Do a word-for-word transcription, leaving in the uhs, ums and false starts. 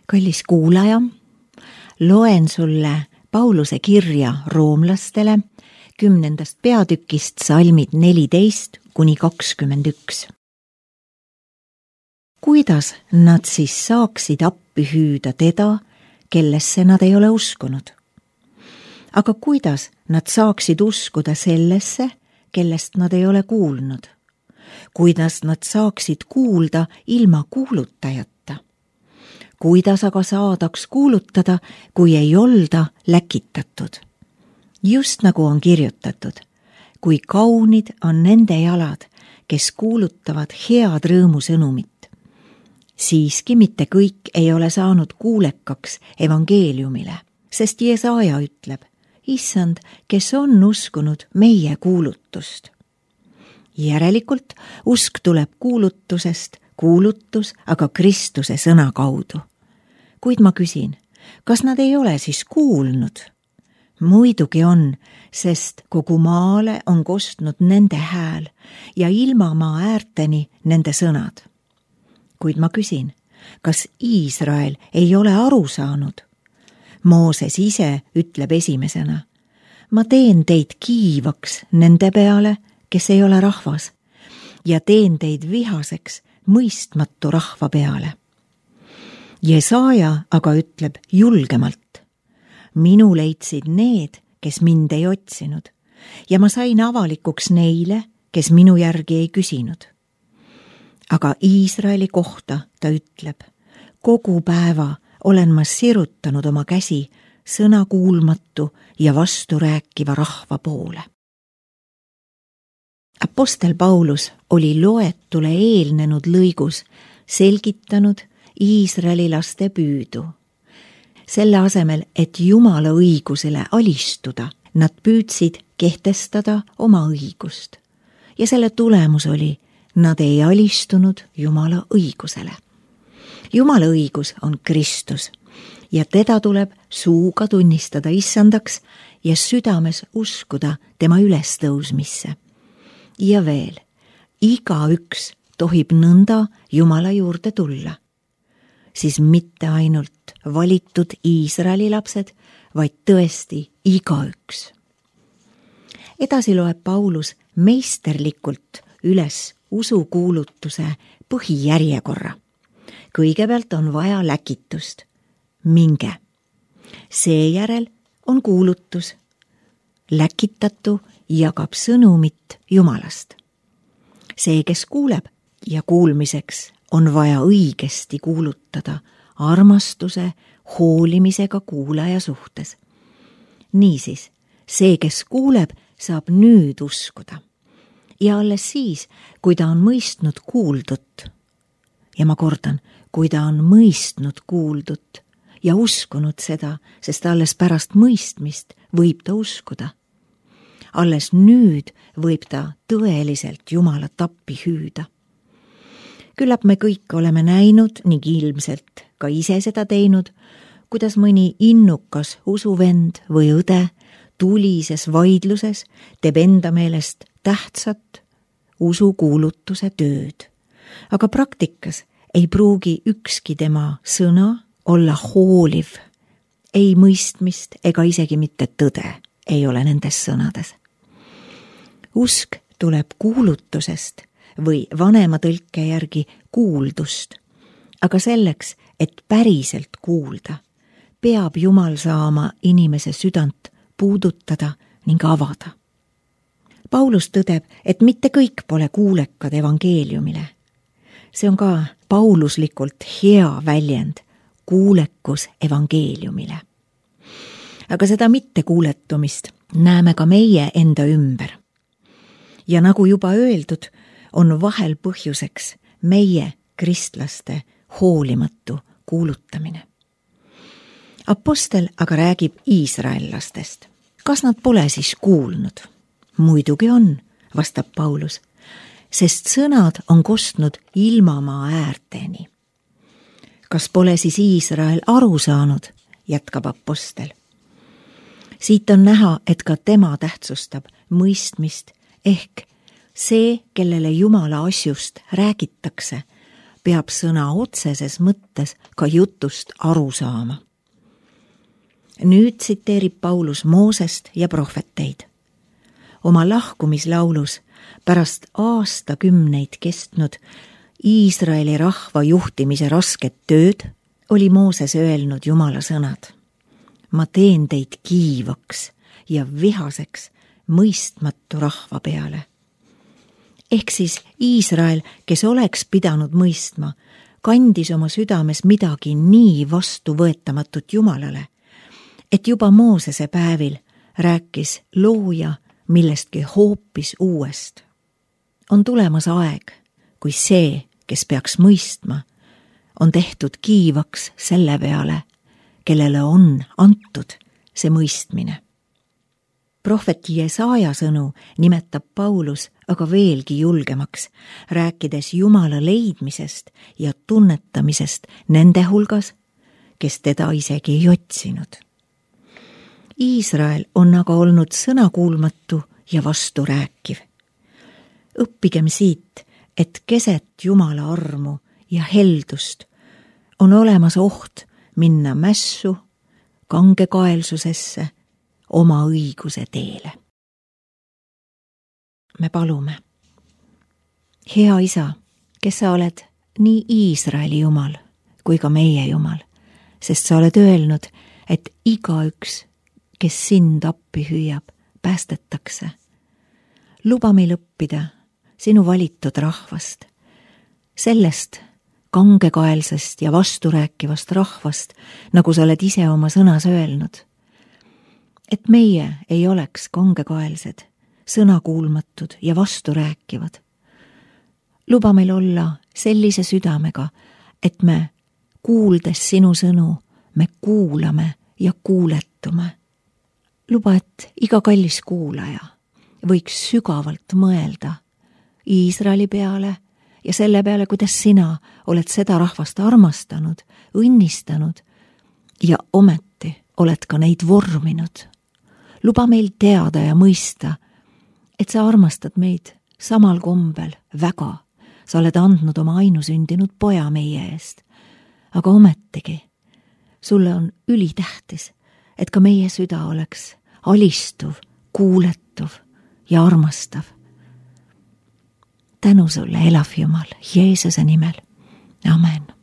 Kallis kuulaja, loen sulle Pauluse kirja roomlastele kümnendast peatükist salmid neliteist kuni kakskümmend üks. Kuidas nad siis saaksid appi hüüda teda, kellesse nad ei ole uskunud? Aga kuidas nad saaksid uskuda sellesse, kellest nad ei ole kuulnud? Kuidas nad saaksid kuulda ilma kuulutajata? Kuidas aga saadaks kuulutada, kui ei olda läkitatud? Just nagu on kirjutatud, kui kaunid on nende jalad, kes kuulutavad head rõõmusõnumit. Siiski mitte kõik ei ole saanud kuulekaks evangeeliumile, sest Jesaja ütleb, Issand, kes on uskunud meie kuulutust. Järelikult usk tuleb kuulutusest, kuulutus aga Kristuse sõna kaudu. Kuid ma küsin, kas nad ei ole siis kuulnud? Muidugi on, sest kogu maale on kostnud nende hääl ja ilma maa äärteni nende sõnad. Kuid ma küsin, kas Iisrael ei ole aru saanud? Mooses ise ütleb esimesena, ma teen teid kiivaks nende peale, kes ei ole rahvas, ja teen teid vihaseks mõistmatu rahva peale. Jesaja aga ütleb julgemalt, minu leidsid need, kes mind ei otsinud, ja ma sain avalikuks neile, kes minu järgi ei küsinud. Aga Iisraeli kohta ta ütleb, kogu päeva olen ma sirutanud oma käsi sõnakuulmatu ja vasturääkiva rahva poole. Apostel Paulus oli loetule eelnenud lõigus selgitanud Iisraeli laste püüdu. Selle asemel, et Jumala õigusele alistuda, nad püüdsid kehtestada oma õigust. Ja selle tulemus oli, nad ei alistunud Jumala õigusele. Jumala õigus on Kristus ja teda tuleb suuga tunnistada issandaks ja südames uskuda tema ülestõusmisse. Ja veel, igaüks tohib nõnda Jumala juurde tulla. Siis mitte ainult valitud Iisraeli lapsed, vaid tõesti igaüks. Edasi loeb Paulus meisterlikult üles usukuulutuse põhijärjekorra. Kõigepealt on vaja läkitust. Minge. Seejärel on kuulutus. Läkitatu jagab sõnumit Jumalast. See, kes kuuleb ja kuulmiseks on vaja õigesti kuulutada armastuse, hoolimisega kuulaja suhtes. Niisiis, see, kes kuuleb, saab nüüd uskuda. Ja alles siis, kui ta on mõistnud kuuldut. Ja ma kordan, kui ta on mõistnud kuuldut ja uskunud seda, sest alles pärast mõistmist võib ta uskuda. Alles nüüd võib ta tõeliselt Jumalat appi hüüda. Küllap me kõik oleme näinud ning ilmselt ka ise seda teinud, kuidas mõni innukas usuvend või õde tulises vaidluses teeb enda meelest tähtsat usukuulutuse tööd. Aga praktikas ei pruugi ükski tema sõna olla hooliv, ei mõistmist ega isegi mitte tõde ei ole nendes sõnades. Usk tuleb kuulutusest või vanema tõlke järgi kuuldust, aga selleks, et päriselt kuulda, peab Jumal saama inimese südant puudutada ning avada. Paulus tõdeb, et mitte kõik pole kuulekad evangeeliumile. See on ka pauluslikult hea väljend, kuulekus evangeeliumile. Aga seda mittekuuletumist näeme ka meie enda ümber. Ja nagu juba öeldud, on vahel põhjuseks meie kristlaste hoolimatu kuulutamine. Apostel aga räägib iisraellastest. Kas nad pole siis kuulnud? Muidugi on, vastab Paulus, sest sõnad on kostnud ilmamaa äärteni. Kas pole siis Iisrael aru saanud, jätkab apostel. Siit on näha, et ka tema tähtsustab mõistmist ehk see, kellele Jumala asjust räägitakse, peab sõna otseses mõttes ka jutust aru saama. Nüüd tsiteerib Paulus Moosest ja prohveteid. Oma lahkumislaulus pärast aastakümneid kestnud Iisraeli rahva juhtimise rasket tööd oli Mooses öelnud Jumala sõnad. Ma teen teid kiivaks ja vihaseks mõistmatu rahva peale. Ehk siis Iisrael, kes oleks pidanud mõistma, kandis oma südames midagi nii vastuvõetamatut Jumalale, et juba Moosese päevil rääkis looja millestki hoopis uuest. On tulemas aeg, kui see, kes peaks mõistma, on tehtud kiivaks selle peale, kellele on antud see mõistmine. Prohveti Jesaja sõnu nimetab Paulus aga veelgi julgemaks, rääkides Jumala leidmisest ja tunnetamisest nende hulgas, kes teda isegi ei otsinud. Iisrael on aga olnud sõnakuulmatu ja vasturääkiv. Õppigem siit, et keset Jumala armu ja heldust on olemas oht minna mässu, kangekaelsusesse, oma õiguse teele. Me palume. Hea Isa, kes sa oled nii Iisraeli Jumal kui ka meie Jumal, sest sa oled öelnud, et igaüks, kes sind appi hüüab, päästetakse. Luba meil õppida sinu valitud rahvast, sellest kangekaelsest ja vasturääkivast rahvast, nagu sa oled ise oma sõnas öelnud. Et meie ei oleks kangekaelsed, sõnakuulmatud ja vasturääkivad. Luba meil olla sellise südamega, et me, kuuldes sinu sõnu, me kuulame ja kuuletume. Luba, et iga kallis kuulaja võiks sügavalt mõelda Iisraeli peale ja selle peale, kuidas sina oled seda rahvast armastanud, õnnistanud ja ometi oled ka neid vorminud. Luba meil teada ja mõista, et sa armastad meid samal kombel väga. Sa oled andnud oma ainusündinud poja meie eest, aga ometigi sulle on ülitähtis, et ka meie süda oleks alistuv, kuuletuv ja armastav. Tänu sulle, elav Jumal, Jeesuse nimel. Amen.